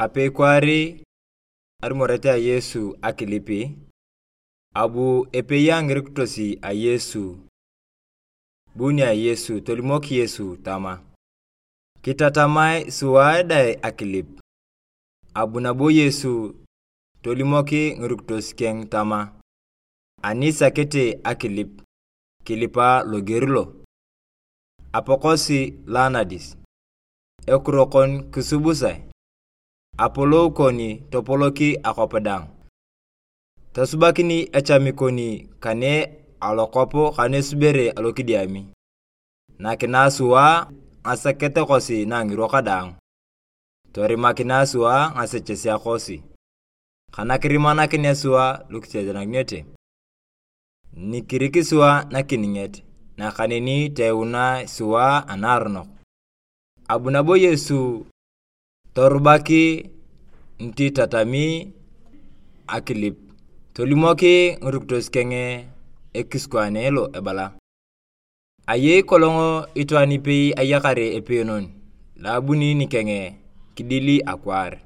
Ape kwari armorete a Yesu akilipi. Abu epe yangiriktosi a Yesu. Buni a Yesu tolimoki Yesu tama. Kitatamai suwaidai akilip. Abu nabo Yesu tolimoki ngiriktosi keng tama. Anisa kete akilip. Kilipa logerlo. Apokosi lanadis. Ekurokon kisubusai. Apolo koni topoloki akopedang. Tasubakini echamikoni kane alokopo kane subere alokidiami. Nakinasua asakete kosi nangiro kadang. Tori makinasua asechesia kosi. Kanakirimana kinesua lukitejanagnyete. Nikirikisua nakiningete. Nakanini teuna sua anarnok. Abu nabo Yesu torbaki nti tatami akilip. Tolimoki nguruktos kenge ekiskwanelo ebala. Aye kolongo itwani pei ayakare epenon. Labuni ni kenge kidili akwar.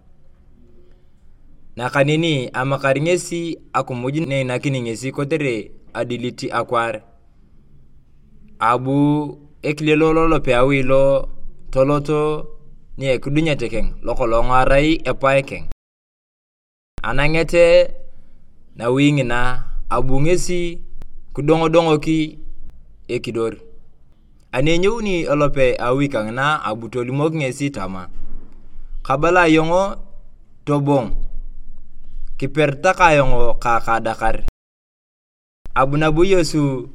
Nakanini amakaringesi akumujine nakiningesi kotere adiliti akwar. Abu ekilelolo peawilo toloto ni ekudunya tekeng lokolongo arai epaekeng. Anangete na wingina abungesi kudongo ki ekidor. Anenyuni olope awikang na abutolimok ngesi tama. Kabala yongo tobong. Kipertaka yongo kakadakar. Abu nabu Yesu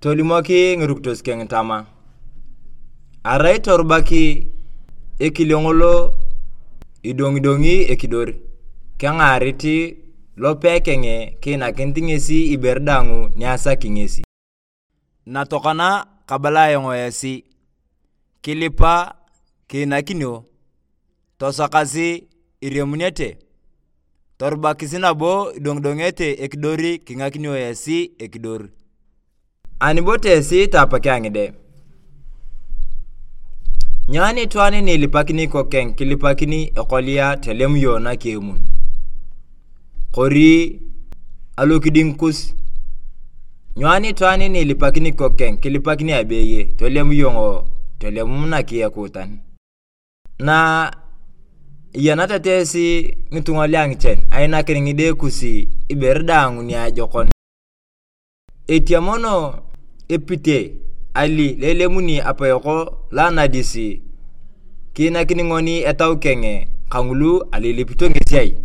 tolimoki ngiruktos keng tama. Arai torbaki ekilongolo idongidongi ekidor. Kengariti lope kenge kina kentingesi iberdangu nyasa kingesi. Natokana kabala yongo yasi. Kilipa kina kinyo. Tosakasi iremunete. Torbakisi nabo idongdongete ekidori kinga kinyo yasi ekidor. Anibote yasi tapake angide. Nyani tuani nilipakini kokeng kilipakini ekolia telemuyo na kiemun. Kori alokidinkus. Nyani tuani nilipakini kokeng kilipakini abeye telemuyo telemuna kiyakutan. Na yanata tesi ngitungaliang chen aina kiringide kusi iberdangu ni ajokon. Etiamono epite ali lelemuni apayoko lanadisi kina kiningoni etau kenge kangulu alilipito ngesiai.